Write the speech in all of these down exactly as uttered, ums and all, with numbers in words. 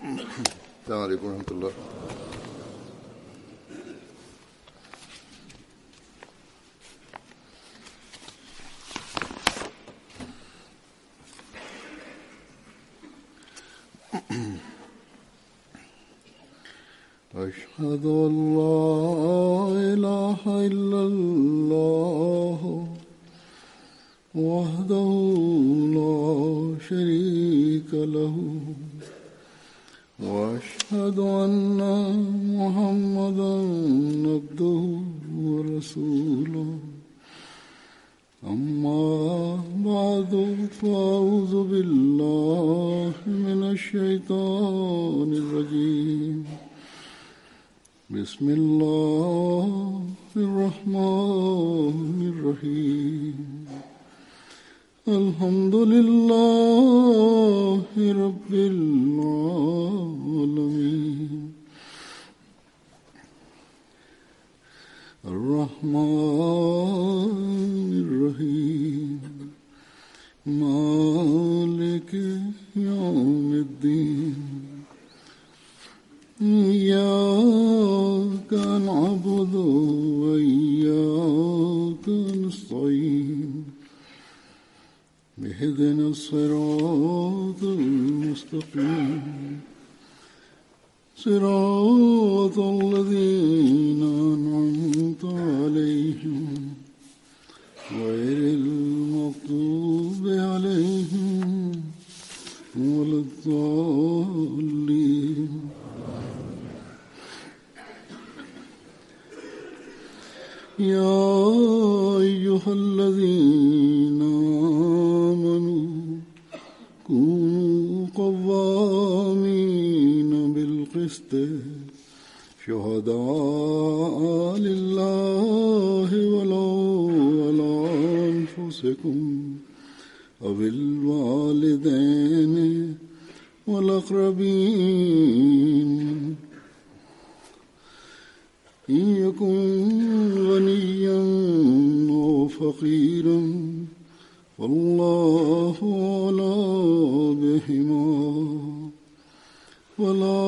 السلام عليكم ورحمة الله. أشهد أن لا إله إلا الله وحده لا شريك له وأشهد أن محمدا عبده ورسوله أما بعد فأعوذ بالله من الشيطان الرجيم بسم الله الرحمن الرحيم الحمد لله رب العالمين الرحمن الرحيم مالك يوم الدين إياك نعبد وإياك نستعين اهدنا الصراط المستقيم صراط الذين أنعمت عليهم غير المغضوب عليهم ولا الضالين. يا أيها الذين آمنوا كونوا قوامين بالقسط شهداء لله ولو على أنفسكم أو الوالدين والأقربين إن يكن غنيا أو فقيرا والله أعلى بهما ولا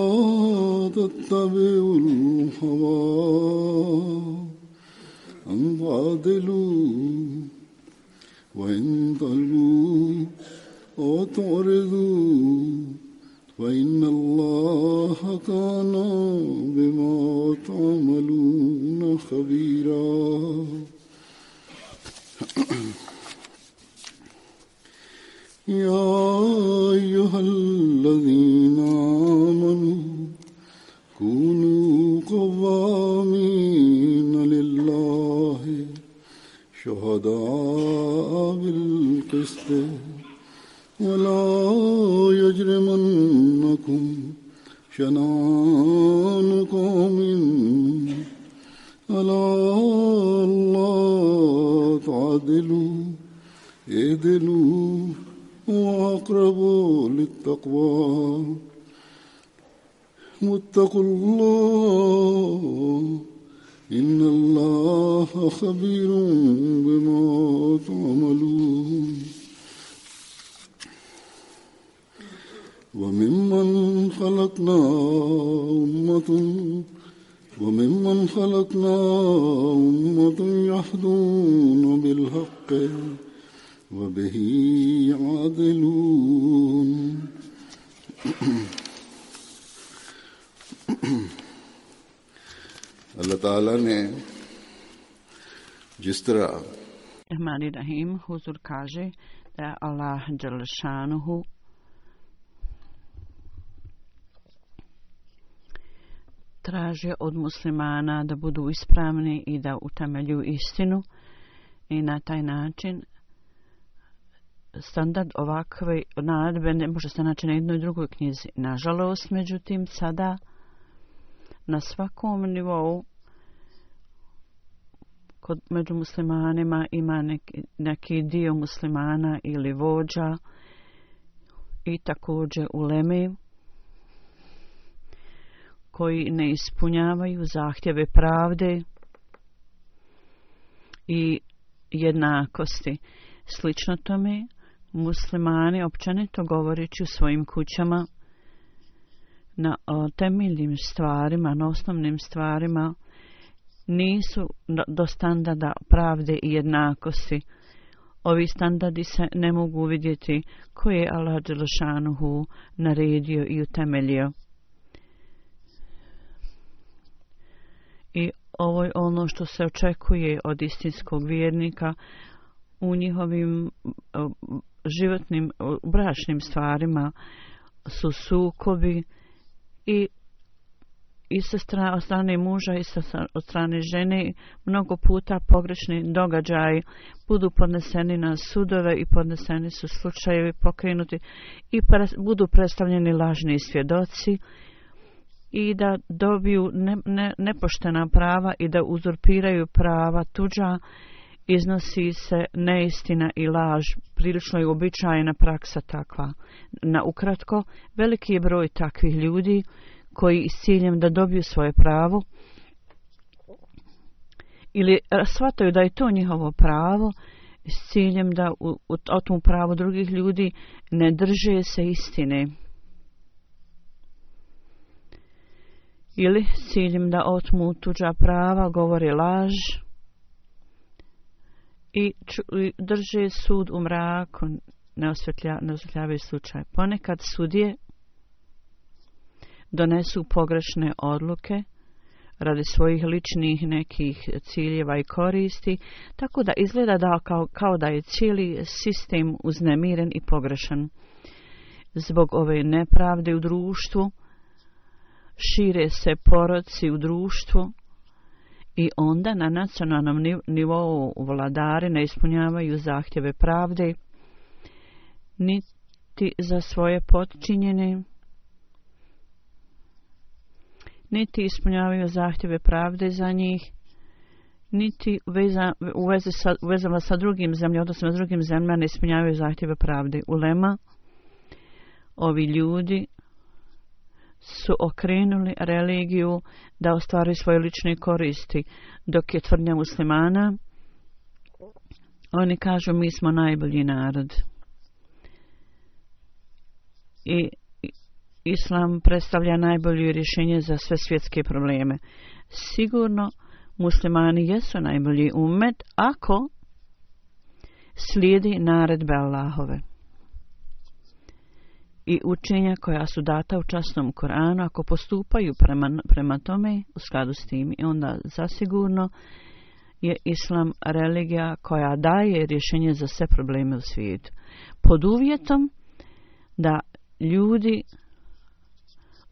تتبعوا الهوى أن تعدلوا وإن تلووا أو تعرضوا فإن الله كان بما تعملون خبيرا. يا أيها الذين آمنوا كونوا قوامين لله شهداء بالقسط ولا يجرمنكم شنآن قوم على ألا تعدلوا اعدلوا وأقربوا للتقوى واتقوا الله إن الله خبير بما تعملون. وممن خلقنا أمة وممن خلقنا أمة يهدون بالحق وبه يعدلون. اللہ تعالیٰ نے جس طرح Rahmani Rahim, Huzur kaže da je Allah Đelešanuhu traže od muslimana da budu ispravni i da utemeljuju istinu i na taj način standard ovakve naredbe ne može se naći na jednoj drugoj knjizi. Nažalost, međutim, sada na svakom nivou kod među muslimanima ima neki, neki dio muslimana ili vođa i također uleme koji ne ispunjavaju zahtjeve pravde i jednakosti. Slično tome, muslimani općenito govoreći u svojim kućama na o, temeljnim stvarima, na osnovnim stvarima, nisu do standarda pravde i jednakosti. Ovi standardi se ne mogu vidjeti koje je Allah dželešanuhu naredio i utemeljio. I ovo je ono što se očekuje od istinskog vjernika u njihovim životnim, bračnim stvarima su sukobi i i sa strane, od strane muža i sa, od strane žene mnogo puta pogrešni događaji budu podneseni na sudove i podneseni su slučajevi pokrenuti i pre, budu predstavljeni lažni svjedoci i da dobiju ne, ne, nepoštena prava i da uzurpiraju prava tuđa, iznosi se neistina i laž. Prilično je uobičajena praksa takva. Na ukratko, veliki je broj takvih ljudi koji s ciljem da dobiju svoje pravo ili shvataju da je to njihovo pravo s ciljem da u, u, otmu pravo drugih ljudi ne drže se istine ili s ciljem da otmu tuđa prava govore laž i, ču, i drže sud u mraku, ne, osvetlja, ne osvetljavaju slučaj. Ponekad sudije donesu pogrešne odluke radi svojih ličnih nekih ciljeva i koristi, tako da izgleda da kao, kao da je cijeli sistem uznemiren i pogrešan. Zbog ove nepravde u društvu šire se poroci u društvu i onda na nacionalnom nivou vladari ne ispunjavaju zahtjeve pravde niti za svoje potčinjene, niti ispunjavaju zahtjeve pravde za njih, niti veza, u, vezi sa, u vezama sa drugim zemljama, odnosno s drugim zemljama ne ispunjavaju zahtjeve pravde. Ulema, ovi ljudi su okrenuli religiju da ostvaruju svoje lične koristi, dok je tvrdnja muslimana, oni kažu mi smo najbolji narod. I Islam predstavlja najbolje rješenje za sve svjetske probleme. Sigurno muslimani jesu najbolji ummet ako slijedi naredbe Allahove i učenja koja su data u časnom Koranu, ako postupaju prema, prema tome u skladu s tim, i onda zasigurno je Islam religija koja daje rješenje za sve probleme u svijetu. Pod uvjetom da ljudi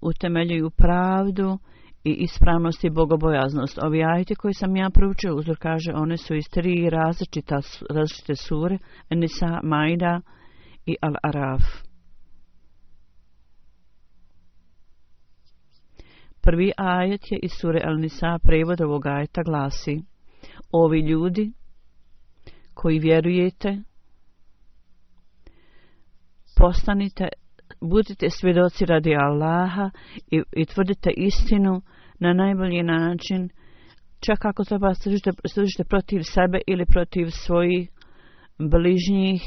utemeljuju pravdu i ispravnost i bogobojaznost. Ovi ajeti koji sam ja proučio, uzor kaže, one su iz tri različita, različite sure, Nisa, Maida i Al-Araf. Prvi ajet je iz sure Al-Nisa, prevod ovog ajeta glasi: ovi ljudi koji vjerujete, postanite, budite svjedoci radi Allaha i, i tvrdite istinu na najbolji način, čak ako treba služite, služite protiv sebe ili protiv svojih bližnjih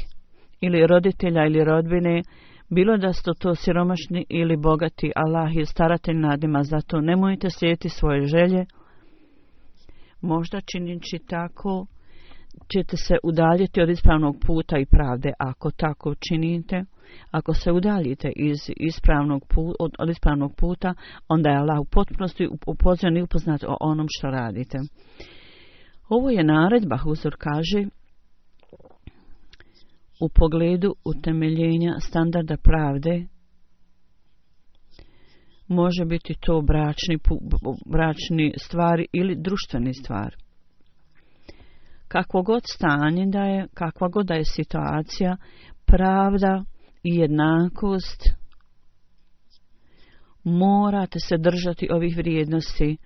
ili roditelja ili rodbine, bilo da ste to siromašni ili bogati. Allah je staratelj nad njima, zato nemojte slijediti svoje želje. Možda činići tako ćete se udaljiti od ispravnog puta i pravde. Ako tako činite, ako se udaljite iz ispravnog puta, od, od ispravnog puta, onda je Allah u potpunosti upoznat i upoznat o onom što radite. Ovo je naredba, Huzur kaže, u pogledu utemeljenja standarda pravde. Može biti to bračni, bračni stvari ili društveni stvari. Kakvo god stanje da je, kakva god da je situacija, pravda i jednakost, morate se držati ovih vrijednosti.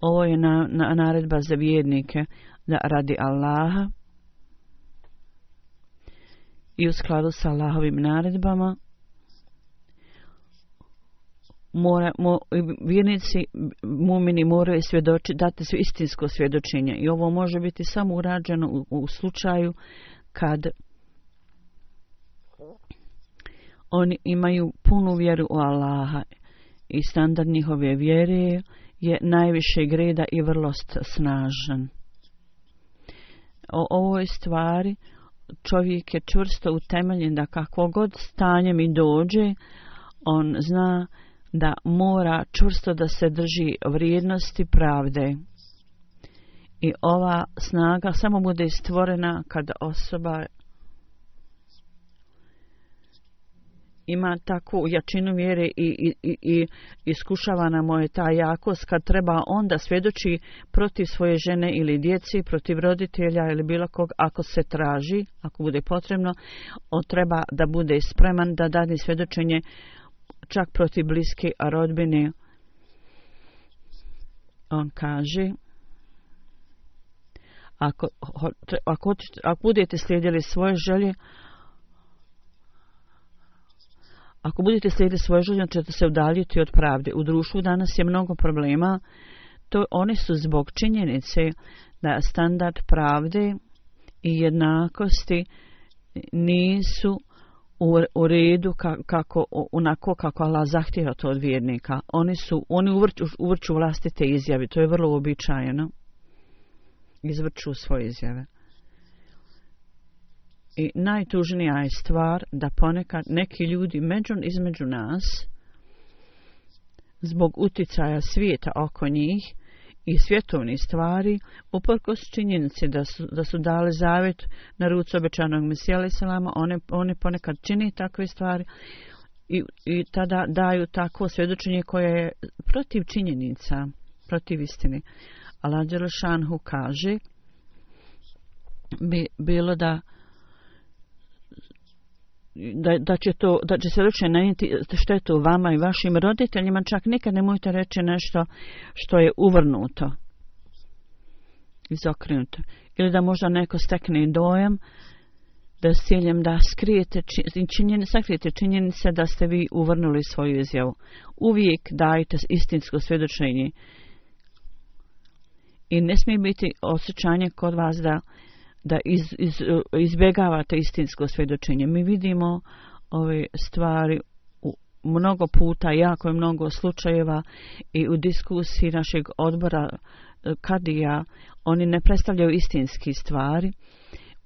Ovo je na, na, naredba za vjernike, da radi Allaha i u skladu sa Allahovim naredbama mora, mo, vjernici, mumini moraju svjedoči, dati su istinsko svjedočenje, i ovo može biti samo urađeno u, u slučaju kad oni imaju punu vjeru u Allaha i standard njihove vjere je najvišeg reda i vrlo snažan. O ovoj stvari čovjek je čvrsto utemeljen da kakvo god stanje mi dođe, on zna da mora čvrsto da se drži vrijednosti pravde. I ova snaga samo bude stvorena kada osoba ima takvu jačinu vjere i, i, i, i iskušavana mu je ta jakost kad treba onda svjedoči protiv svoje žene ili djeci, protiv roditelja ili bilo kog, ako se traži, ako bude potrebno, on treba da bude spreman da dade svjedočenje čak protiv bliske rodbine. On kaže, ako, ako, ako budete slijedili svoje želje, Ako budete slijediti svoje želje, ćete se udaljiti od pravde. U društvu danas je mnogo problema. To oni su zbog činjenice da standard pravde i jednakosti nisu u, u redu kako, onako kako Allah zahtjeva to od vjernika. Oni su, oni uvrću, uvrću vlastite izjave. To je vrlo uobičajeno. Izvrću svoje izjave. I najtužnija je stvar da ponekad neki ljudi među, između nas zbog uticaja svijeta oko njih i svjetovnih stvari uprkos činjenici da su, da su dali zavjet na ruci obećanog Mesija alejhi selama, one, one ponekad čini takve stvari i, i tada daju takvo svjedočenje koje je protiv činjenica, protiv istine. Allah dželešanhu kaže bi bilo da Da, da će to, da će se ruče nanijeti štetu vama i vašim roditeljima, čak nikad nemojte reći nešto što je uvrnuto, izokrenuto. Ili da možda neko stekne dojam da s ciljem da skrijete činjenice, sakrijete činjenice da ste vi uvrnuli svoju izjavu. Uvijek dajte istinsko svjedočenje. I ne smije biti osjećanje kod vas da da iz, iz, izbjegavate istinsko svjedočenje. Mi vidimo ove stvari u mnogo puta, jako je mnogo slučajeva i u diskusiji našeg odbora kadija, oni ne predstavljaju istinski stvari.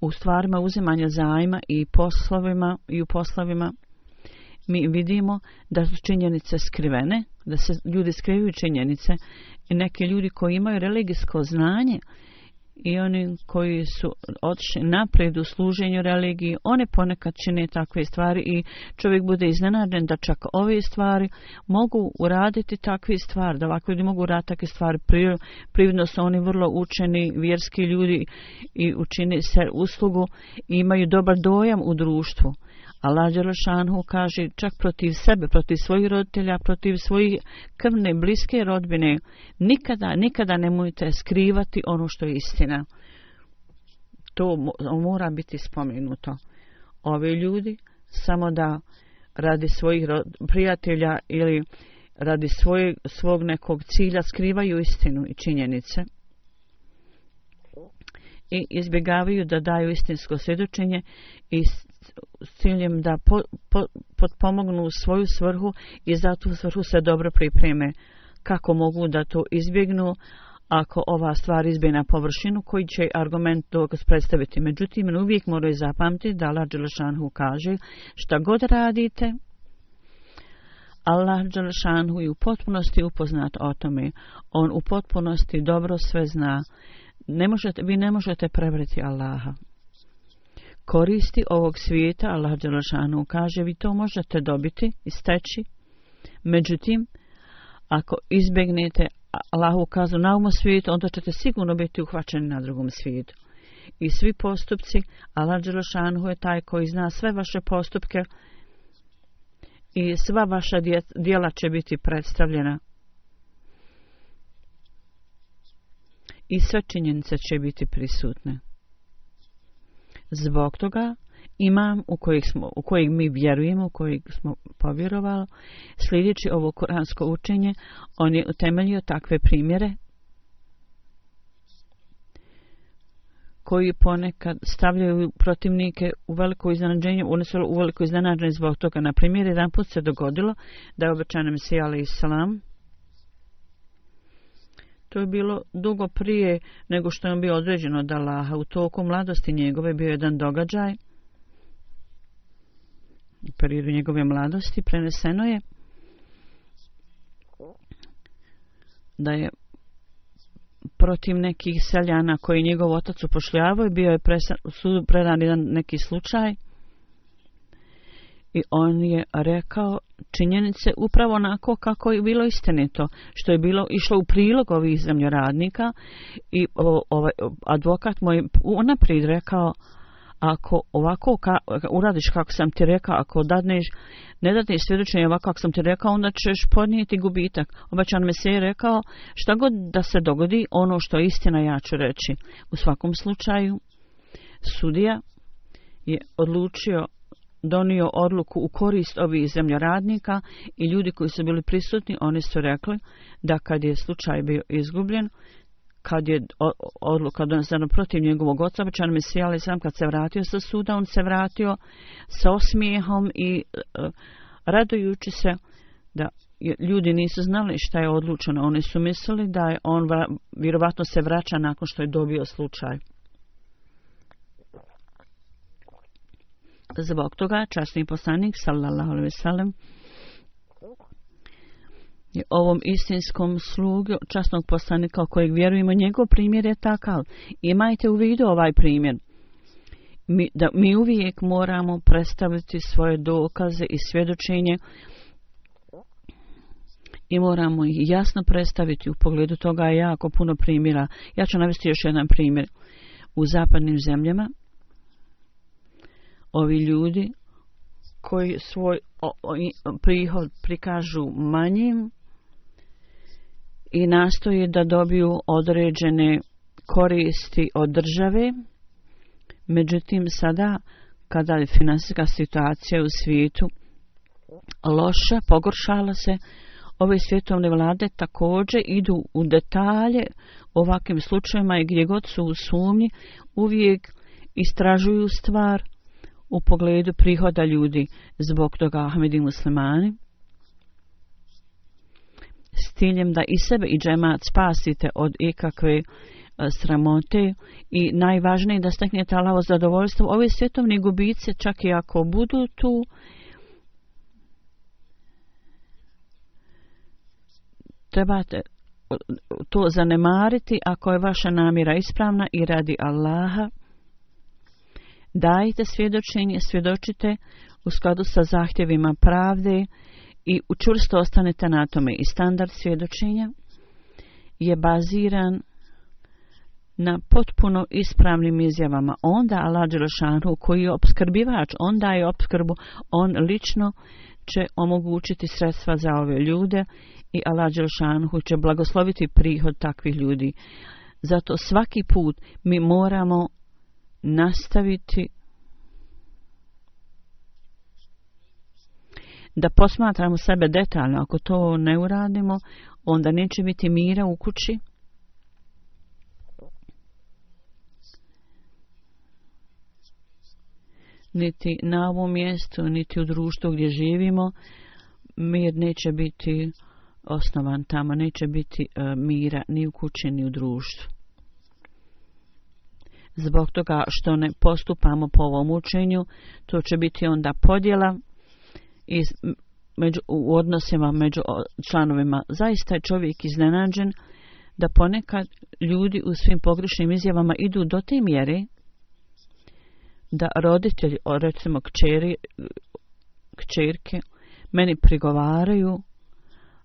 U stvarima uzimanja zajma i poslovima i u poslovima mi vidimo da su činjenice skrivene, da se ljudi skrivaju činjenice i neki ljudi koji imaju religijsko znanje i oni koji su otišli naprijed u služenju religiji, one ponekad čine takve stvari i čovjek bude iznenađen da čak ove stvari mogu uraditi takve stvari, da ovako ljudi mogu uraditi takve stvari. Prividno su oni vrlo učeni, vjerski ljudi i učini se uslugu i imaju dobar dojam u društvu. Allah dželešanhu kaže čak protiv sebe, protiv svojih roditelja, protiv svojih krvne, bliske rodbine, nikada, nikada nemojte skrivati ono što je istina. To mora biti spomenuto. Ovi ljudi samo da radi svojih prijatelja ili radi svoj, svog nekog cilja skrivaju istinu i činjenice i izbjegavaju da daju istinsko svjedočenje i s ciljem da po, po, potpomognu svoju svrhu i za tu svrhu se dobro pripreme. Kako mogu da to izbjegnu ako ova stvar izbije na površinu, koji će argument dokaz predstaviti. Međutim, uvijek moraju zapamtiti da Allah dželešanhu kaže šta god radite, Allah dželešanhu je u potpunosti upoznat o tome. On u potpunosti dobro sve zna. Ne možete, vi ne možete prevriti Allaha. Koristi ovog svijeta, Allah dželešanhu kaže, vi to možete dobiti i steći. Međutim, ako izbjegnete Allahu kaznu na ovom svijetu, onda ćete sigurno biti uhvaćeni na drugom svijetu. I svi postupci, Allah dželešanhu je taj koji zna sve vaše postupke i sva vaša djela će biti predstavljena. I sve činjenice će biti prisutne. Zbog toga imam u kojeg, smo, u kojeg mi vjerujemo, u kojeg smo povjerovali, sljedeći ovo kuransko učenje, on je utemeljio takve primjere koji ponekad stavljaju protivnike u veliko iznenađenje, oni su u veliko iznenađenje zbog toga. Na primjer, jedan put se dogodilo da je obećan Mesija alejhi selam. To je bilo dugo prije nego što je on bio određen od Allaha. U toku mladosti njegove bio jedan događaj. U periodu njegove mladosti preneseno je da je protiv nekih seljana koji njegov otac upošljavao, bio je u sudu predan jedan neki slučaj i on je rekao činjenice upravo onako kako je bilo istinito, što je bilo išlo u prilog ovih zemljoradnika i ovaj advokat moj unaprijed rekao, ako ovako ka, uradiš kako sam ti rekao, ako dadneš, ne dadneš svjedočenje ovako kako sam ti rekao, onda ćeš podnijeti gubitak. Obećan Mesija je rekao, šta god da se dogodi, ono što je istina ja ću reći. U svakom slučaju, sudija je odlučio, donio odluku u korist ovih zemljoradnika i ljudi koji su bili prisutni, oni su rekli da kad je slučaj bio izgubljen, kad je odluka donesena protiv njegovog oca, obećan Mesija alejhi selam, kad se vratio sa suda, on se vratio sa osmijehom i uh, radujući se da ljudi nisu znali šta je odlučeno. Oni su mislili da je on vjerovatno se vraća nakon što je dobio slučaj. Zbog toga časni poslanik sallallahu alejhi ve sellem je ovom istinskom slugu časnog poslanika o kojeg vjerujemo, njegov primjer je takav. Imajte u vidu ovaj primjer. Mi, da mi uvijek moramo predstaviti svoje dokaze i svjedočenje i moramo ih jasno predstaviti. U pogledu toga je jako puno primjera. Ja ću navesti još jedan primjer. U zapadnim zemljama ovi ljudi koji svoj o, o, prihod prikažu manjim i nastoje da dobiju određene koristi od države. Međutim, sada kada je finansijska situacija u svijetu loša, pogoršala se, ove svjetovne vlade također idu u detalje ovakvim slučajima i gdje god su u sumnji uvijek istražuju stvar u pogledu prihoda ljudi. Zbog toga Ahmedi muslimani s ciljem da i sebe i džemat spasite od ikakve sramote i najvažnije da steknete Allahovo zadovoljstvo, ove svjetovne gubice, čak i ako budu tu, trebate to zanemariti ako je vaša namjera ispravna i radi Allaha. Dajte svjedočenje, svjedočite u skladu sa zahtjevima pravde i učvrsto ostanete na tome. I standard svjedočenja je baziran na potpuno ispravnim izjavama. Onda Allah dželešanu, koji je opskrbivač, on daje opskrbu, on lično će omogućiti sredstva za ove ljude i Allah dželešanu će blagosloviti prihod takvih ljudi. Zato svaki put mi moramo nastaviti da posmatramo sebe detaljno. Ako to ne uradimo, onda neće biti mira u kući. Niti na ovom mjestu, niti u društvu gdje živimo, mir neće biti osnovan tamo, neće biti uh, mira ni u kući, ni u društvu. Zbog toga što ne postupamo po ovom učenju, to će biti onda podjela iz, među, u odnosima među članovima. Zaista je čovjek iznenađen da ponekad ljudi u svim pogrešnim izjavama idu do te mjere da roditelji, recimo kćeri, kćerke, meni prigovaraju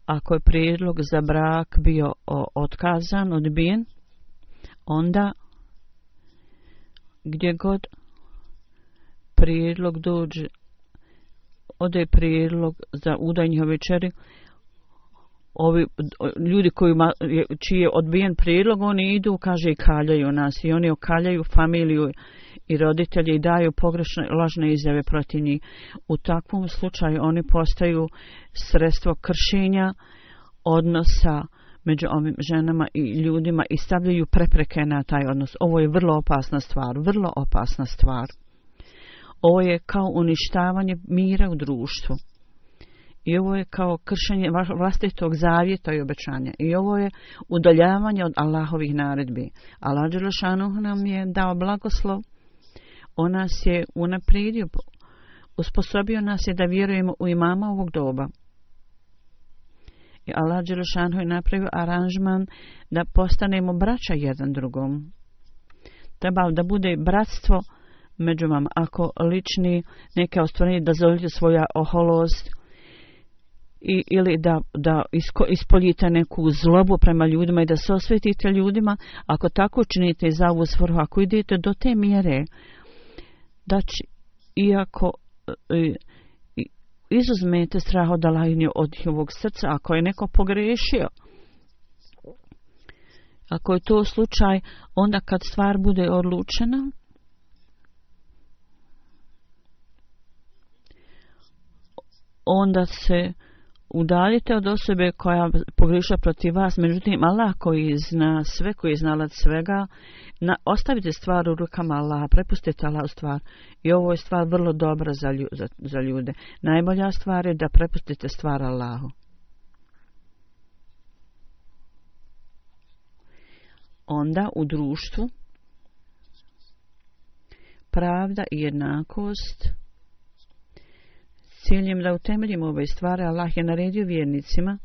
ako je prijedlog za brak bio otkazan, odbijen, onda gdje god prijedlog dođe, ode prijedlog za udaj njihove kćeri, ovi ljudi kojima, čiji je odbijen prijedlog, oni idu, kaže, i kaljaju nas i oni okaljaju familiju i roditelji i daju pogrešne, lažne izjave protiv njih. U takvom slučaju oni postaju sredstvo kršenja odnosa među ovim ženama i ljudima i stavljaju prepreke na taj odnos. Ovo je vrlo opasna stvar, vrlo opasna stvar. Ovo je kao uništavanje mira u društvu. I ovo je kao kršenje vlastitog zavjeta i obećanja. I ovo je udaljavanje od Allahovih naredbi. Allah dželešanu nam je dao blagoslov. On nas je unaprijedio, usposobio nas je da vjerujemo u imama ovog doba. I Allah dželešanu je napravio aranžman da postanemo braća jedan drugom. Treba da bude bratstvo među vam. Ako lični neke ostvarenje da zovite svoja oholost i, ili da, da isko, ispoljite neku zlobu prema ljudima i da se osvetite ljudima, ako tako činite za ovu svrhu, ako idete do te mjere, da će, iako i, i, izuzmete strah od Allaha od njihovog srca, ako je neko pogrešio, ako je to slučaj, onda kad stvar bude odlučena, onda se udaljite od osobe koja pogriješa protiv vas. Međutim, Allah koji zna sve, koji je znalac svega, na, ostavite stvar u rukama Allaha, prepustite Allahu stvar. I ovo je stvar vrlo dobra za, lju, za, za ljude. Najbolja stvar je da prepustite stvar Allahu. Onda u društvu pravda i jednakost, ciljem da utemeljimo ove stvari, Allah je naredio vjernicima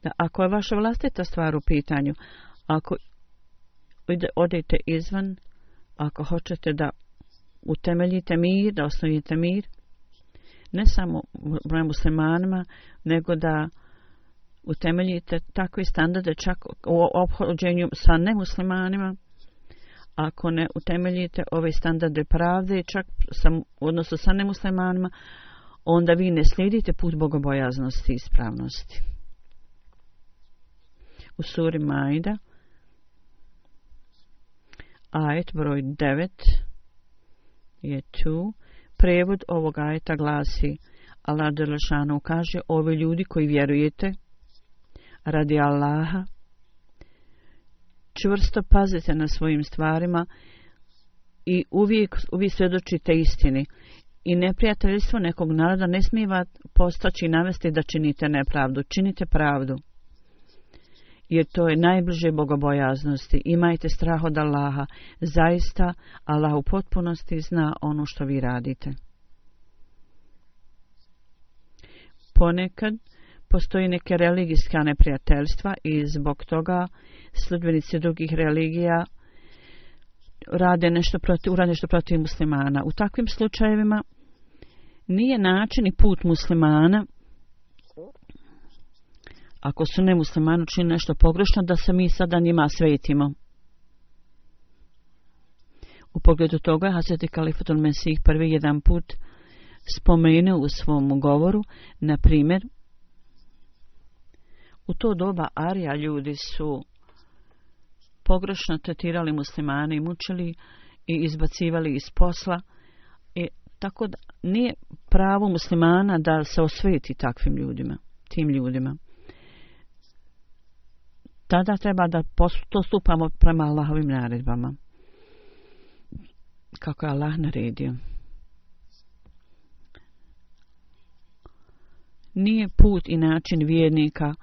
da ako je vaša vlastita stvar u pitanju, ako odete izvan, ako hoćete da utemeljite mir, da osnovite mir, ne samo broj muslimanima, nego da utemeljite takve standarde čak u ophođenju sa nemuslimanima, ako ne utemeljite ove standarde pravde, čak sam, u odnosu sa nemuslimanima, onda vi ne slijedite put bogobojaznosti i ispravnosti. U suri Maida, ajet broj devet je tu. Prevod ovog ajeta glasi: Allah dželešanu kaže, ovi ljudi koji vjerujete, radi Allaha, čvrsto pazite na svojim stvarima i uvijek, uvijek svjedočite istini. I neprijateljstvo nekog naroda ne smije vas postaći i navesti da činite nepravdu. Činite pravdu. Jer to je najbliže bogobojaznosti. Imajte strah od Allaha. Zaista, Allah u potpunosti zna ono što vi radite. Ponekad postoji neke religijska neprijateljstva i zbog toga sljedbenici drugih religija rade nešto protiv, urade nešto protiv muslimana. U takvim slučajevima nije način i put muslimana, ako su nemuslimani učinili nešto pogrešno, da se mi sada njima svetimo. U pogledu toga Hazreti Kalifatul Mesih prvi jedan put spomenuo u svom govoru, na primjer, u to doba Arija ljudi su pogrešno tretirali muslimane i mučili i izbacivali iz posla. I tako da nije pravo muslimana da se osveti takvim ljudima, tim ljudima. Tada treba da postupamo prema Allahovim naredbama, kako je Allah naredio. Nije put i način vjernika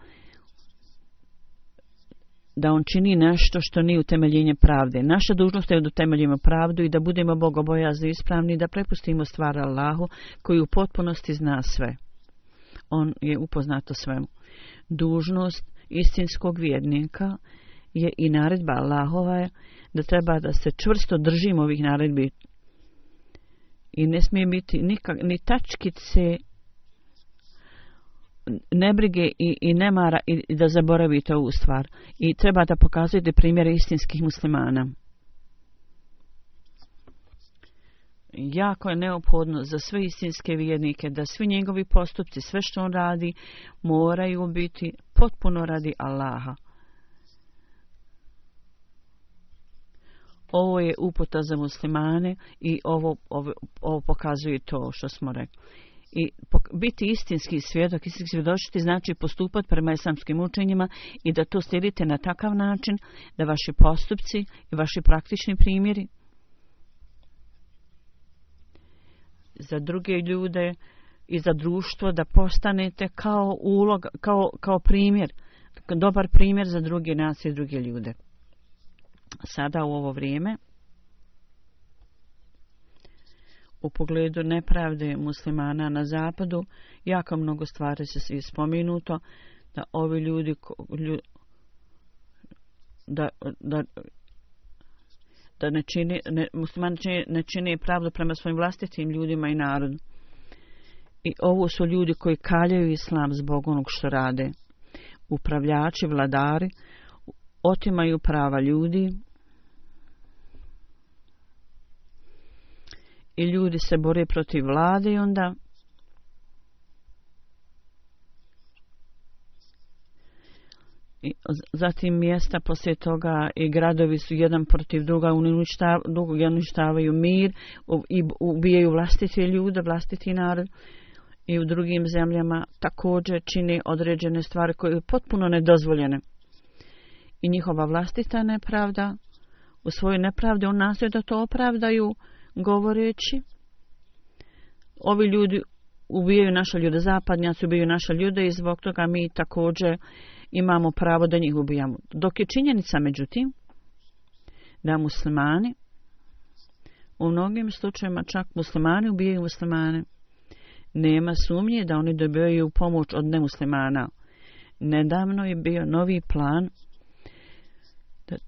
da on čini nešto što nije utemeljenje pravde. Naša dužnost je da utemeljimo pravdu i da budemo bogobojazni i ispravni, da prepustimo stvar Allahu koji u potpunosti zna sve. On je upoznat o svemu. Dužnost istinskog vjernika je i naredba Allahova je da treba da se čvrsto držimo ovih naredbi i ne smije biti nikak, ni tačkice nebrige i, i nemara i, i da zaboravite ovu stvar. I treba da pokazujete primjere istinskih muslimana. Jako je neophodno za sve istinske vjernike da svi njegovi postupci, sve što on radi, moraju biti potpuno radi Allaha. Ovo je uputa za muslimane i ovo, ovo, ovo pokazuje to što smo rekli. I biti istinski svjedok, istinski svjedočiti znači postupati prema islamskim učenjima i da to slijedite na takav način da vaši postupci i vaši praktični primjeri za druge ljude i za društvo da postanete kao ulog, kao, kao primjer, dobar primjer za druge nacije i druge ljude. Sada u ovo vrijeme u pogledu nepravde muslimana na zapadu jako mnogo stvari se spomenuto da ovi ljudi da, da, da ne čini, ne, muslimani ne čine pravdu prema svojim vlastitim ljudima i narodu. I ovo su ljudi koji kaljaju islam zbog onog što rade. Upravljači, vladari otimaju prava ljudi i ljudi se bore protiv vlade i onda i zatim mjesta poslije toga i gradovi su jedan protiv druga, uništavaju mir i ubijaju vlastite ljude, vlastiti narod. I u drugim zemljama također čini određene stvari koje su potpuno nedozvoljene. I njihova vlastita nepravda, u svojoj nepravdi on nastoji da to opravdaju govoreći ovi ljudi ubijaju naše ljude, zapadnjaci ubijaju naše ljude i zbog toga mi također imamo pravo da njih ubijamo. Dok je činjenica međutim da muslimani u mnogim slučajevima čak muslimani ubijaju muslimane. Nema sumnje da oni dobijaju pomoć od nemuslimana. Nedavno je bio novi plan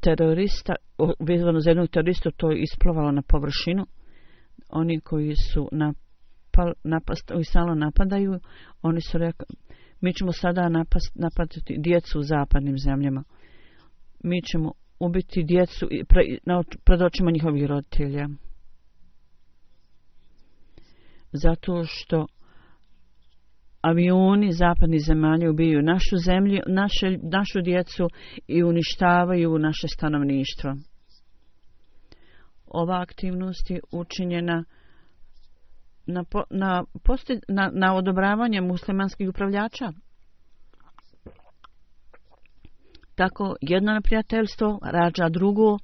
terorista, vezano za jednog teroristu, to je isplovalo na površinu. Oni koji su napal, napast, stalno napadaju, oni su rekli, mi ćemo sada napast, napadati djecu u zapadnim zemljama. Mi ćemo ubiti djecu pre, na, pred očima njihovih roditelja. Zato što avioni zapadnih zemalja ubijaju našu zemlju, naše, našu djecu i uništavaju naše stanovništvo. Ova aktivnost je učinjena na, na, posti, na, na odobravanje muslimanskih upravljača. Tako jedno neprijateljstvo rađa drugo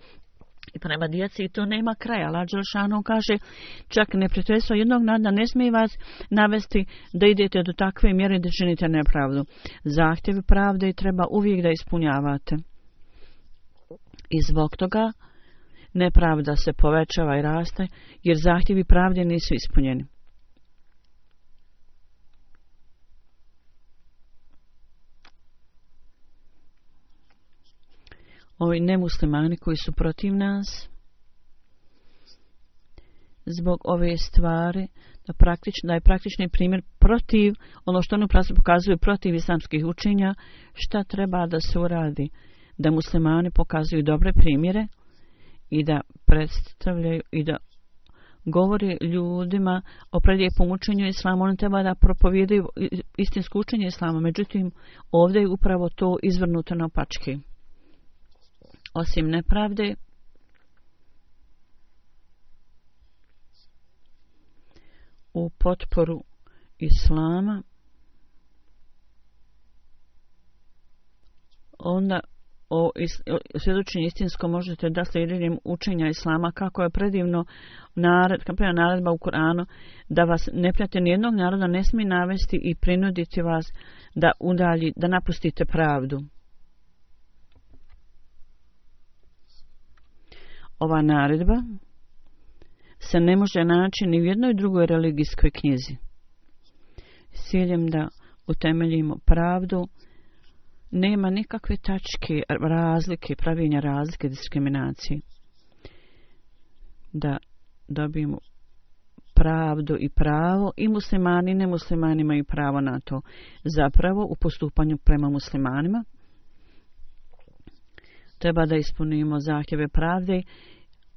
i prema djeci i to nema kraja. Allah Đelešanu kaže čak neprijateljstvo jednog naroda ne smije vas navesti da idete do takve mjere da činite nepravdu. Zahtjevi pravde treba uvijek da ispunjavate. I zbog toga nepravda se povećava i raste jer zahtjevi pravde nisu ispunjeni. Ovi nemuslimani koji su protiv nas zbog ove stvari da, praktično, da je praktični primjer protiv ono što oni pokazuju protiv islamskih učenja, šta treba da se uradi, da muslimani pokazuju dobre primjere i da predstavljaju i da govori ljudima o predlijepom učenju islama. Oni treba da propovijedaju istinsko učenje islama, međutim ovdje je upravo to izvrnuto na opačke. Osim nepravde, u potporu islama, onda o, o svjedočenju istinsko možete da slijedjenjem učenja islama kako je predivno nared, kako je naredba u Kur'anu da vas neprijatelj nijednog naroda ne smije navesti i prinuditi vas da udalji, da napustite pravdu. Ova naredba se ne može naći ni u jednoj drugoj religijskoj knjizi. S ciljem da utemeljimo pravdu, nema nikakve tačke razlike, pravilnja razlike, diskriminacije. Da dobijemo pravdu i pravo i muslimani i nemuslimani imaju pravo na to. Zapravo u postupanju prema muslimanima treba da ispunimo zahtjeve pravde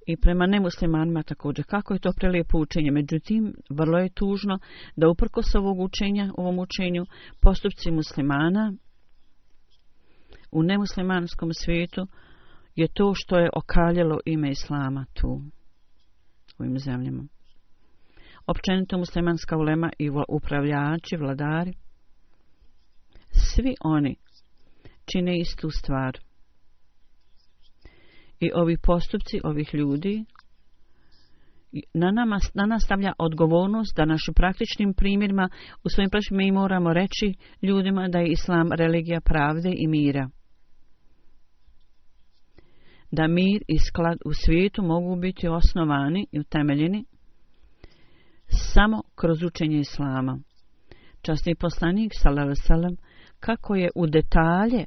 i prema nemuslimanima također. Kako je to prelijepo učenje? Međutim, vrlo je tužno da uprkos ovog učenja, ovom učenju, postupci muslimana u nemuslimanskom svijetu je to što je okaljalo ime islama tu, u ovim zemljama. općenito muslimanska ulema i upravljači, vladari, svi oni čine istu stvar. I ovi postupci ovih ljudi na, nama, na nas stavlja odgovornost da našim praktičnim primjerima u svojim praktičnim mi moramo reći ljudima da je islam religija pravde i mira. Da mir i sklad u svijetu mogu biti osnovani i utemeljeni samo kroz učenje islama. Časni poslanik sallallahu alejhi ve sellem kako je u detalje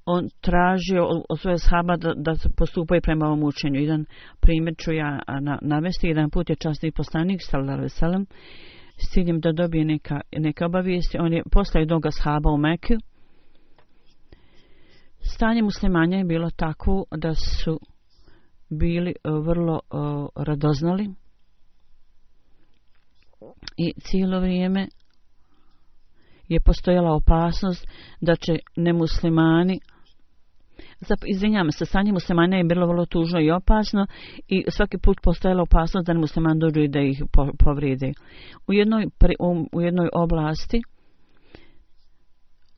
on tražio od svoje sahaba da, da postupaju prema ovom učenju. Jedan primjer ću ja na, navesti. Jedan put je časni poslanik sallallahu alejhi ve sellem s ciljem da dobije neka, neka obavijesti. On je poslao jednog sahaba u Meku. Stanje muslimanja je bilo tako da su bili vrlo uh, radoznali i cijelo vrijeme je postojala opasnost da će nemuslimani, izvinjavam se, stanje muslimana je bilo vrlo tužno i opasno i svaki put postojala opasnost da nemuslimani dođu i da ih povrede. U jednoj, u jednoj oblasti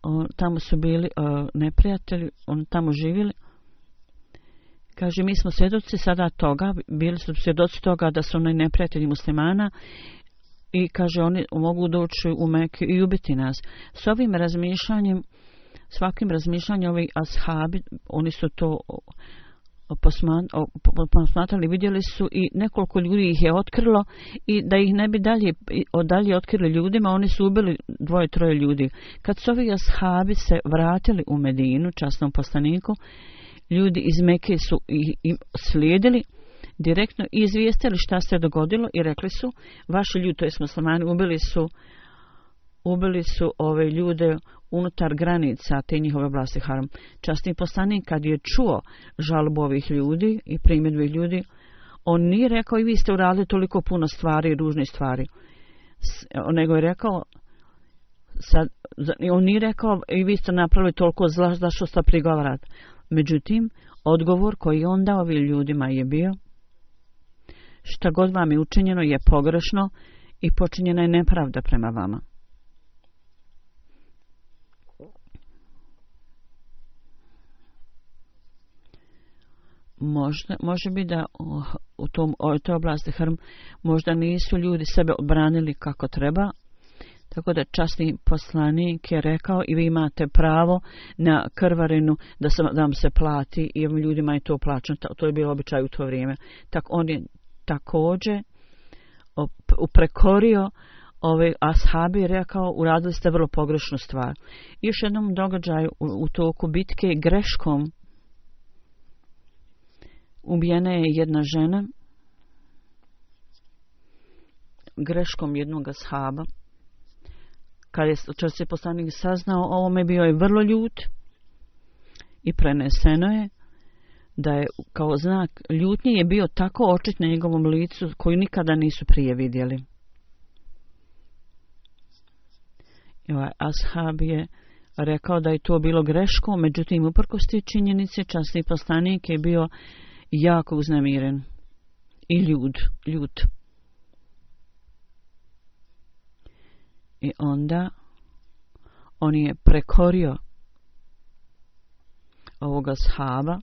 on, tamo su bili uh, neprijatelji, oni tamo živjeli. Kaže, mi smo svjedoci sada toga, bili su svjedoci toga da su oni neprijatelji muslimana i kaže, oni mogu doći u Meku i ubiti nas. S ovim razmišljanjem, svakim razmišljanjem ovi ashabi, oni su to posmatrali, vidjeli su i nekoliko ljudi ih je otkrilo i da ih ne bi dalje, dalje otkrili ljudima, oni su ubili dvoje, troje ljudi. Kad su ovi ashabi se vratili u Medinu, časnom poslaniku, ljudi iz Mekke su ih slijedili direktno i izvijestili šta se dogodilo i rekli su, vaši ljudi, to je muslimani, ubili su ubili su ove ljude unutar granica te njihove oblasti haram. Časni poslanik kad je čuo žalbu ovih ljudi i primjedbe ljudi, on nije rekao i vi ste uradili toliko puno stvari i ružnih stvari. Nego je rekao, sad, on nije rekao i vi ste napravili toliko zla da što ste prigovarati. Međutim, odgovor koji on dao ovim ljudima je bio, šta god vam je učinjeno je pogrešno i počinjena je nepravda prema vama. Možda, može biti da u tom, u toj oblasti Hrm možda nisu ljudi sebe obranili kako treba, tako da časni poslanik je rekao i vi imate pravo na krvarinu da, sam, da vam se plati i ovim ljudima je to plaćeno. To je bilo običaj u to vrijeme. Tak on je također uprekorio ove ashabi i rekao, uradili ste vrlo pogrešnu stvar. I još jednom događaju u, u toku bitke greškom ubijena je jedna žena, greškom jednog ashaba. Kad je časni poslanik saznao ovome, bio je vrlo ljut i preneseno je da je kao znak ljutnje je bio tako očit na njegovom licu koju nikada nisu prije vidjeli. I ovaj ashab je rekao da je to bilo greško, međutim uprkos te činjenice časni poslanik je bio jako uznemiren i ljud, ljut. I onda on je prekorio ovoga ashaba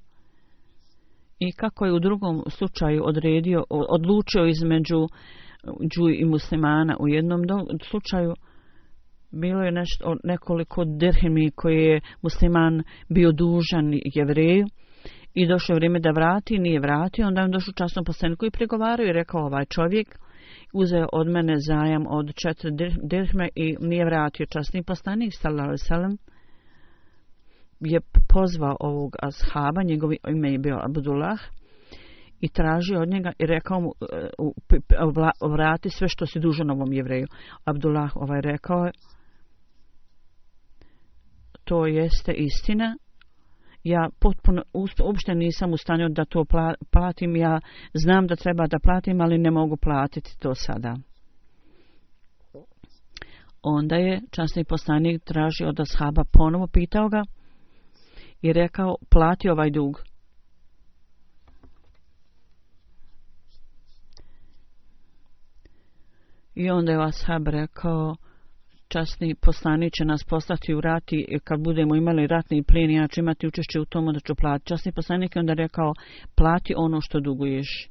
i kako je u drugom slučaju odredio, odlučio između džuj i muslimana. U jednom do, slučaju bilo je nešto, nekoliko dirhemi koje je musliman bio dužan Jevreju i došlo vrijeme da vrati, nije vratio, onda je došao časnom poslaniku i pregovarao i rekao, ovaj čovjek uzeo od mene zajam od četiri dirhme i nije vratio. Časni poslanik sallallahu alejhi ve sellem je pozvao ovog ashaba, njegovo ime je bio Abdullah, i tražio od njega i rekao mu, vrati sve što si dužan ovom Jevreju. Abdullah ovaj rekao je, to jeste istina, ja potpuno uopšte nisam u stanju da to platim, ja znam da treba da platim, ali ne mogu platiti to sada. Onda je časni poslanik tražio od ashaba, ponovo pitao ga i rekao, plati ovaj dug. I onda je ashab rekao, časni poslanik će nas poslati u rat i kad budemo imali ratni plijen, ja ću imati učešće u tomu da ću platiti. Časni poslanik je onda rekao, plati ono što duguješ.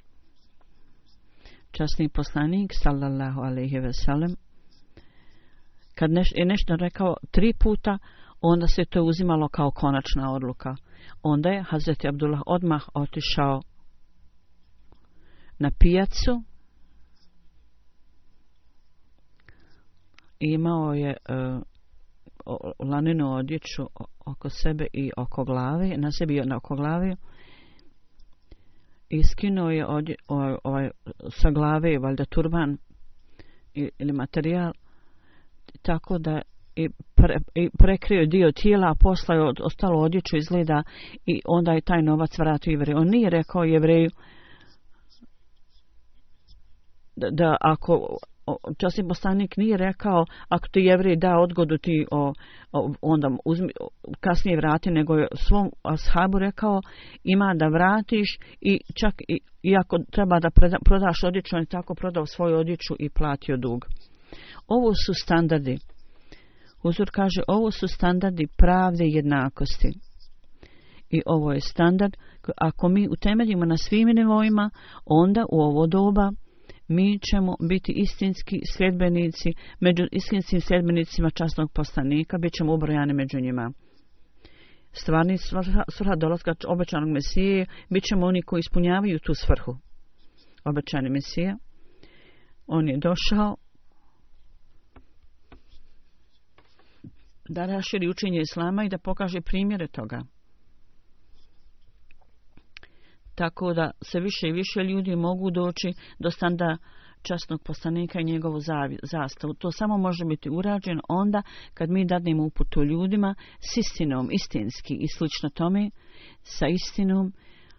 Časni poslanik, sallallahu alejhi ve sellem, kad neš, je nešto rekao tri puta, onda se to uzimalo kao konačna odluka. Onda je Hazreti Abdullah odmah otišao na pijacu. Imao je uh, laninu odjeću oko sebe i oko glave, na sebi i oko glave. Iskinuo je odje, ovaj, ovaj, sa glave valjda turban ili materijal, tako da i, pre, i prekrio dio tijela, a posle je ostalo odjeću izgleda i onda je taj novac vratio Jevreju. On nije rekao Jevreju da, da ako časni poslanik nije rekao ako ti Jevrej da odgodu ti o, o, onda uzmi, kasnije vrati, nego je svom ashabu rekao ima da vratiš i čak i, i ako treba da preda, prodaš odjeću, on je tako prodao svoju odjeću i platio dug. Ovo su standardi. Huzur kaže, ovo su standardi pravde i jednakosti. I ovo je standard, ako mi utemeljimo na svim nivoima, onda u ovo doba mi ćemo biti istinski sljedbenici, među istinskim sljedbenicima časnog poslanika, bit ćemo ubrojani među njima. Stvarni svrha dolaska obećanog Mesije, bit ćemo oni koji ispunjavaju tu svrhu. Obećani Mesija, on je došao da raširi učenje Islama i da pokaže primjere toga. Tako da se više i više ljudi mogu doći do standa časnog poslanika i njegovu zastavu. To samo može biti urađeno onda kad mi dadnemo uputu ljudima s istinom, istinski i slično tome, sa istinom.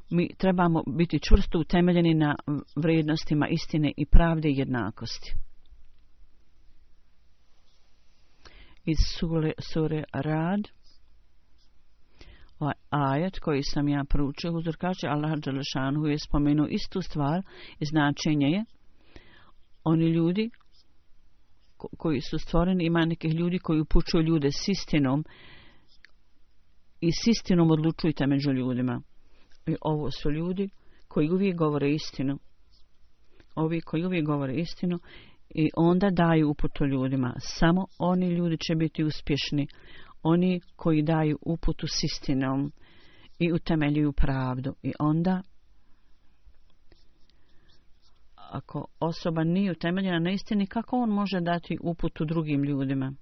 Mi trebamo biti čvrsto utemeljeni na vrijednostima istine i pravde i jednakosti. Iz sure, sure Rad, ovaj ajet koji sam ja proučio, Huzur kaže, Allah dželešanu je spomenuo istu stvar i značenje je oni ljudi ko, koji su stvoreni, ima nekih ljudi koji upućuju ljude s istinom i s istinom odlučujte među ljudima. I ovo su ljudi koji uvijek govore istinu. Ovi koji uvijek govore istinu i onda daju uputu ljudima. Samo oni ljudi će biti uspješni. Oni koji daju uputu s istinom i utemeljuju pravdu. I onda, ako osoba nije utemeljena na istini, kako on može dati uputu drugim ljudima?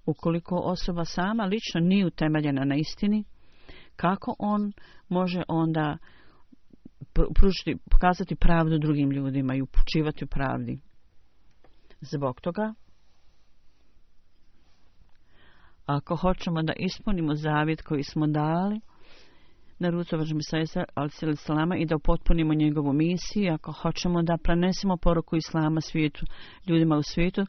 Ukoliko osoba sama lično nije utemeljena na istini, kako on može onda pružiti, pokazati pravdu drugim ljudima i upućivati u pravdi? Zbog toga, ako hoćemo da ispunimo zavjet koji smo dali na rucu Važem Isaisa al-Salama i da upotpunimo njegovu misiju, ako hoćemo da prenesemo poruku Islama svijetu, ljudima u svijetu,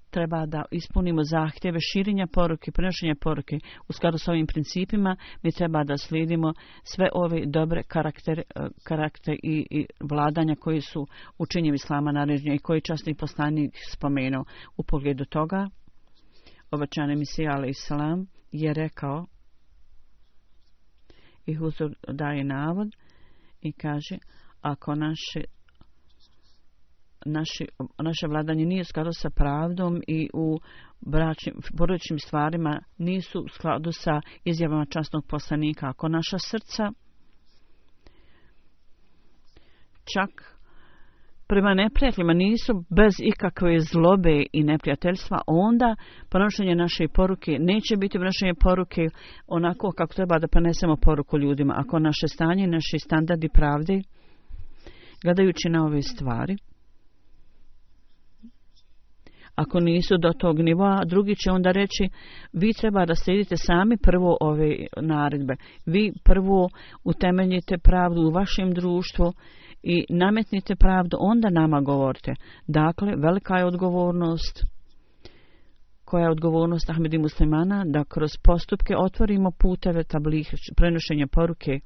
treba da ispunimo zahtjeve širenja poruke, prenošenja poruke. U skladu s ovim principima mi treba da slijedimo sve ove dobre karakter, karakter i, i vladanja koji su učenjem Islama naređenja i koji časni poslanik spomenuo. U pogledu toga, obećani Mesija alejhiselam je rekao, i Huzur daje navod i kaže, ako naše Naši, naše vladanje nije u skladu sa pravdom i u bračnim, porodičnim stvarima nisu u skladu sa izjavama časnog poslanika. Ako naša srca čak prema neprijateljima nisu bez ikakve zlobe i neprijateljstva, onda prenošenje naše poruke neće biti prenošenje poruke onako kako treba da prenesemo poruku ljudima. Ako naše stanje, naši standardi pravde, gledajući na ove stvari, ako nisu do tog nivoa, drugi će onda reći, vi treba da slijedite sami prvo ove naredbe. Vi prvo utemeljite pravdu u vašem društvu i nametnite pravdu, onda nama govorite. Dakle, velika je odgovornost, koja je odgovornost Ahmedi muslimana, da kroz postupke otvorimo puteve tablih, prenošenja poruke.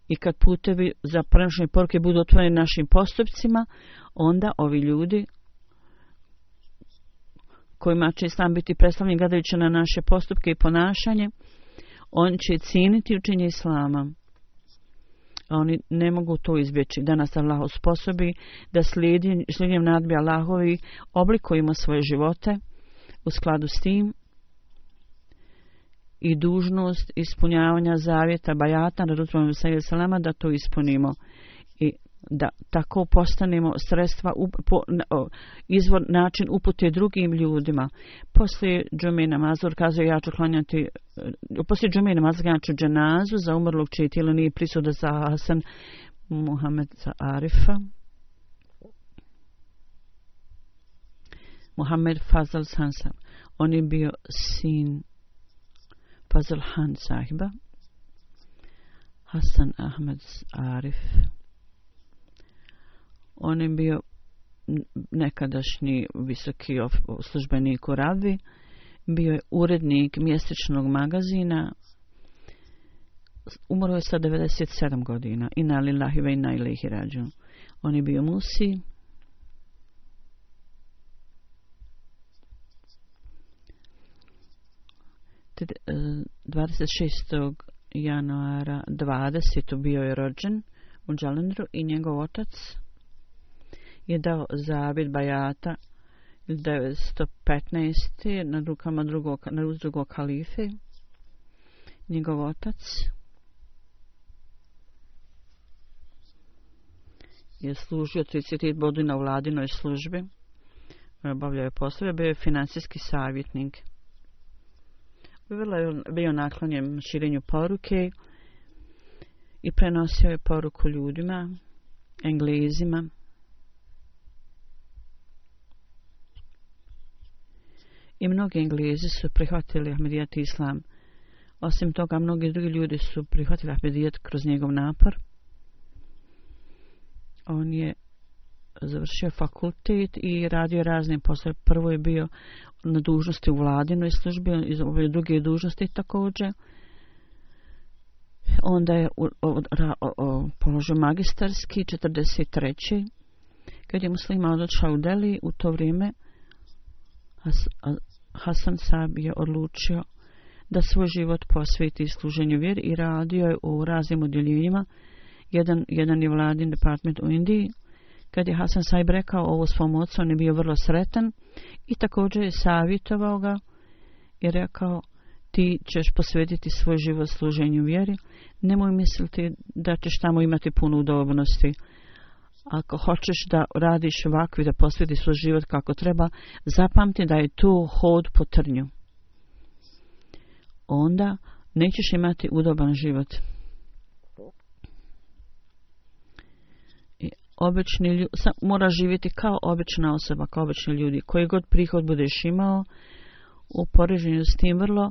I kad putevi za prenošenje poruke budu otvoreni našim postupcima, onda ovi ljudi kojima će Islam biti predstavljen gledajući na naše postupke i ponašanje, oni će cijeniti učenje Islama. A oni ne mogu to izbjeći. Da nas Allah usposobi da slijedjenjem nadbi Allahovi oblikujemo svoje živote u skladu s tim i dužnost ispunjavanja zavjeta bajata na Resulullah sallallahu alejhi ve sellem da to ispunimo i da tako postanemo sredstva po, izvor način upute drugim ljudima. Poslije džume namaza kazuje ja ću klanjati poslije džume namaza ja ću dženazu za umrlog čije tijelo nije prisutno za Hasan Muhammed za Arifa Muhammed Fazal Sansa. On je bio sin Fazal Han sahiba Hasan Ahmed Arif. On je bio nekadašnji visoki službenik u Rabi, bio je urednik mjesečnog magazina, umro je sa devedeset sedam godina. Inna lillahi ve inna ilaihi rađun. On je bio musi. dvadeset šestog januara dvadesetog bio je rođen u Džalendru i njegov otac je dao zavjet bajata devetsto petnaeste na rukama drugog, na ruz drugog halife. Njegov otac je služio trideset godina u vladinoj službi, obavljao je poslove, bio je financijski savjetnik. Bio naklonjen širenju poruke i prenosio je poruku ljudima, Englezima. I mnogi Englezi su prihvatili Ahmedijat Islam. Osim toga, mnogi drugi ljudi su prihvatili Ahmedijat kroz njegov napor. On je završio fakultet i radio razne poslove. Prvo je bio na dužnosti u vladinoj službi, i druge dužnosti također. Onda je u, o, o, o, položio magistarski četrdeset treće kad je muslima odšao u Delhi. U to vrijeme Has, Hasan Sahib je odlučio da svoj život posveti služenju vjeri i radio je u raznim odjeljenjima. Jedan, jedan je vladin department u Indiji. Kad je Hasan Sahib rekao ovo svom ocu, on je bio vrlo sretan i također je savjetovao ga i rekao ti ćeš posvetiti svoj život služenju vjeri. Nemoj misliti da ćeš tamo imati puno udobnosti. Ako hoćeš da radiš ovako i da posvetiš svoj život kako treba, zapamti da je to hod po trnju. Onda nećeš imati udoban život. I obični ljudi, mora živjeti kao obična osoba, kao obični ljudi. Koji god prihod budeš imao, u poređenju s tim vrlo,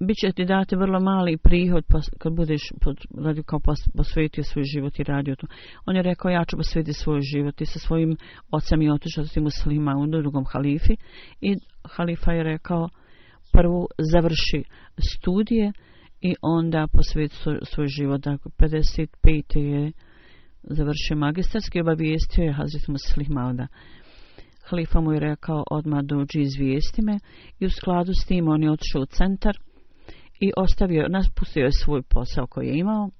bit će ti dati vrlo mali prihod kad budeš radio kao posvetio svoj život i radio to. On je rekao ja ću posvetiti svoj život i sa svojim ocem i otišao s tim muslima u drugom halifi i halifa je rekao prvo završi studije i onda posveti svoj, svoj život. Dakle, pedeset pete je završio magistarski i obavijestio je Hazret Muslih Mauda. Halifa mu je rekao odmah dođi izvijesti me i u skladu s tim on je otišao u centar i ostavio, naspustio je svoj posao koji je imao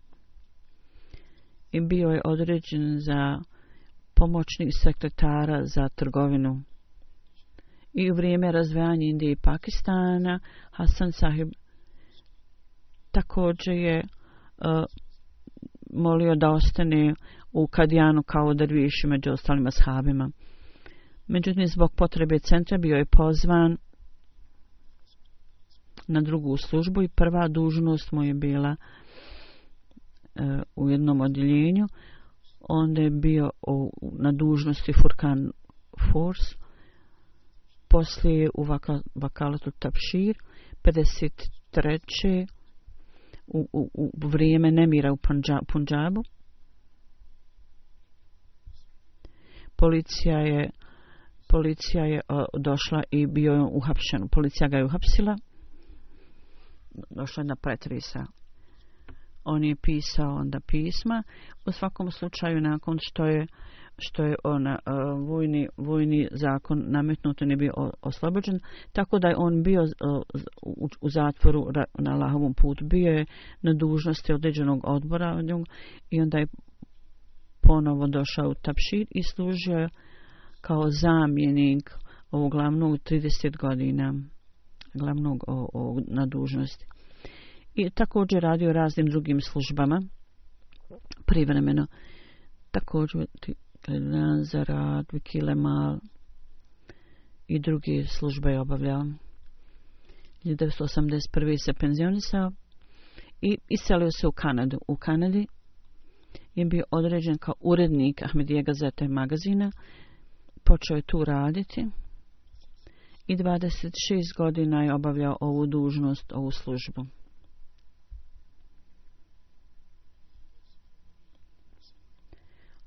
i bio je određen za pomoćnik sekretara za trgovinu. I u vrijeme razvijanja Indije i Pakistana Hasan Sahib također je uh, molio da ostane u Kadijanu kao derviš među ostalim ashabima. Međutim, zbog potrebe centra bio je pozvan na drugu službu i prva dužnost mu je bila uh, u jednom odjeljenju. Onda je bio u, na dužnosti Furkan Force, poslije u vaka, Vakalatu Tabšir, pedeset treće u, u, u vrijeme nemira u Punjabu. Policija je, policija je uh, došla i bio je uhapšen. Policija ga je uhapsila. Došla je na pretresa. On je pisao onda pisma. U svakom slučaju, nakon što je što je ona uh, vojni, vojni zakon nametnut, on je bio oslobođen, tako da je on bio uh, u, u zatvoru na Allahovom putu, bio je na dužnosti određenog odbora od njega i onda je ponovo došao u Tabšir i služio kao zamjenik ovog glavnog trideset godina, glavnog o, o, na dužnosti. I također radio raznim drugim službama, privremeno. Također za rad, Vikilemal i druge službe je obavljao. hiljadu devetsto osamdeset prve se penzionisao i iselio se u Kanadu. U Kanadi je bio određen kao urednik Ahmedije gazete i magazina. Počeo je tu raditi i dvadeset šest godina je obavljao ovu dužnost, ovu službu.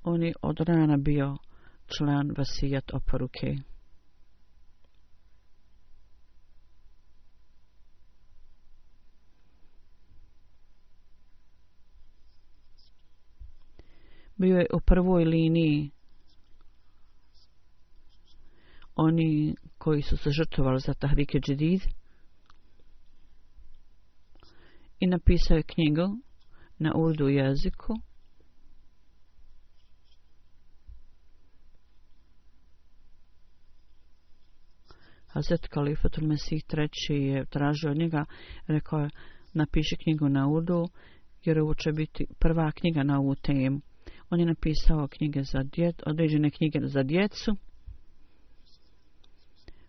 On je od rana bio član vasijat oporuke. Bio je u prvoj liniji oni koji su se žrtvovali za Tahrike Džedid i napisao je knjigu na urdu jeziku Hazret Kalifatul Mesih treći je tražio od njega, rekao je napiši knjigu na urdu jer ovo će biti prva knjiga na ovu temu. On je napisao knjige za djet, određene knjige za djecu,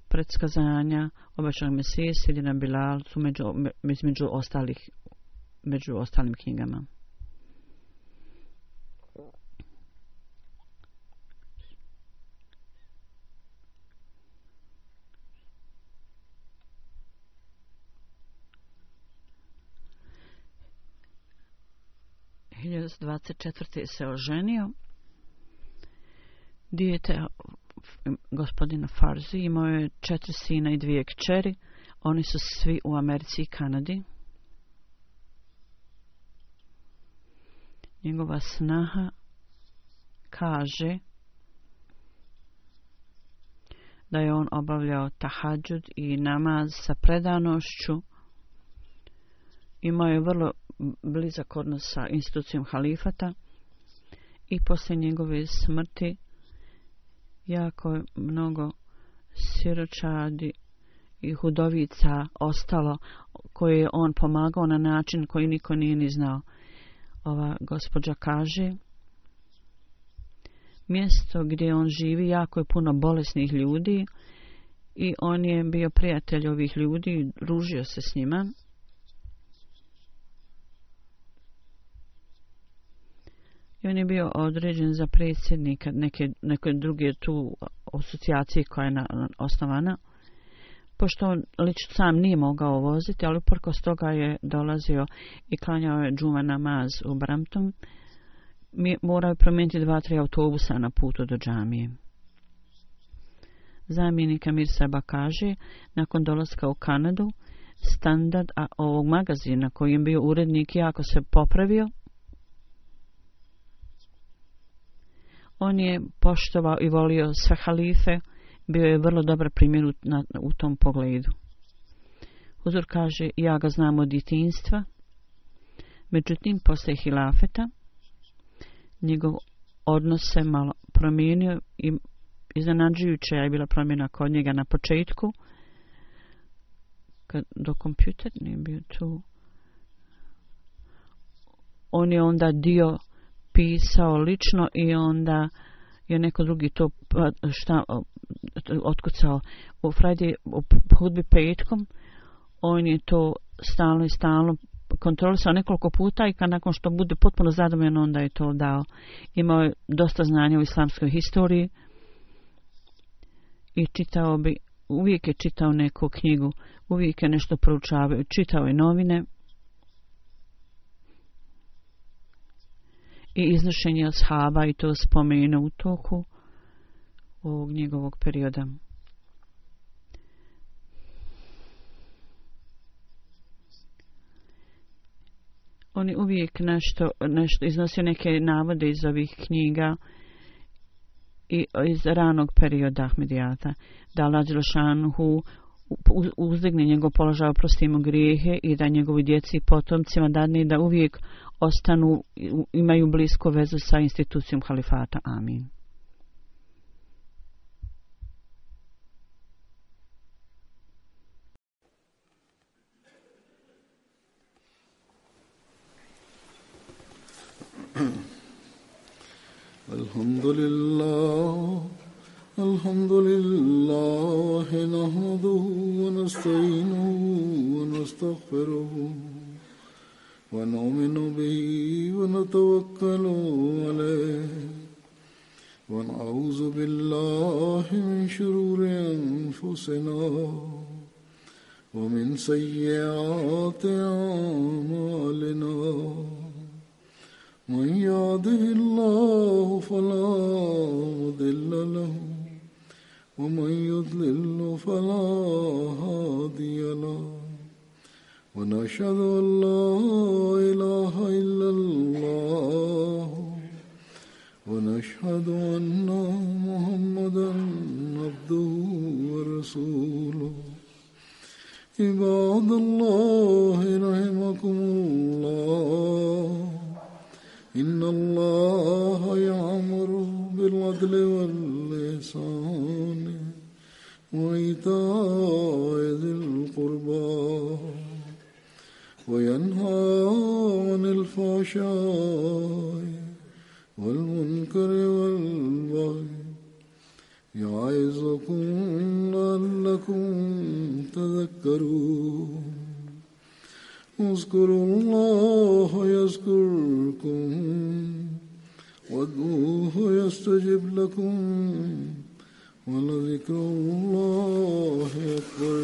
predskazanja, obećanog Mesije, Sidina Bilal su među, među, ostalih, među ostalim knjigama. hiljadu dvadeset četvrte se oženio. Dijete gospodina Farzi imao je četiri sina i dvije kćeri. Oni su svi u Americi i Kanadi. Njegova snaha kaže da je on obavljao tahadžud i namaz sa predanošću. Imao je vrlo blizak odnos sa institucijom halifata i poslije njegove smrti jako je mnogo siročadi i hudovica ostalo koje je on pomagao na način koji niko nije ni znao. Ova gospođa kaže, mjesto gdje on živi jako je puno bolesnih ljudi i on je bio prijatelj ovih ljudi, družio se s njima. I on je bio određen za predsjednika neke, neke druge tu asocijacije koja je na, na, osnovana. Pošto on lično sam nije mogao voziti, ali uprkos toga je dolazio i klanjao je džuma namaz u Brampton. Mi moraju promijeniti dva, tri autobusa na putu do džamije. Zamjenik Amir Saba kaže, nakon dolaska u Kanadu, standard ovog magazina koji je bio urednik jako se popravio. On je poštovao i volio sve halife, bio je vrlo dobar primjer u, na, u tom pogledu. Huzur kaže, ja ga znam od djetinjstva, međutim, posle hilafeta, njegov odnos se malo promijenio i iznenađujuća je bila promjena kod njega na početku, kad do kompjuter nije bio tu. On je onda dio pisao lično i onda je neko drugi to šta, otkucao u Friday, u hudbi petkom. On je to stalno i stalno kontrolisao nekoliko puta i kad nakon što bude potpuno zadovoljan onda je to dao. Imao je dosta znanja u islamskoj historiji i čitao bi, uvijek je čitao neku knjigu, uvijek je nešto proučavao, čitao je novine i iznošenje ashaba i to spomenuo u toku ovog njegovog perioda. On je uvijek nešto, nešto iznosio neke navode iz ovih knjiga i iz ranog perioda Ahmedijata. Da Allah Đelešanuhu uzdigne njegov položaj, oprosti mu grijehe i da njegovi djeci i potomcima dadne da uvijek ostanu, imaju blisku vezu sa institucijom halifata. Amin. Alhamdulillah, alhamdulillah, nahmaduhu wa nasta'inuhu wa nastaghfiruhu wa nu'minu bihi wa natawakkalu alayhi wa na'udhu billahi min shururi anfusina wa min sayyiati a'malina. من يهده الله فلا مضل له ومن يضلل فلا هادي له ونشهد أن لا إله إلا الله ونشهد أن محمدا عبده ورسوله. عباد الله رحمكم الله، إن الله يأمر بالعدل والإحسان وإيتاء ذي القربى وينهى عن الفحشاء والمنكر والبغي يعظكم لعلكم تذكرون. اذكروا الله يذكركم وادعوه يستجب لكم ولذكر الله أكبر.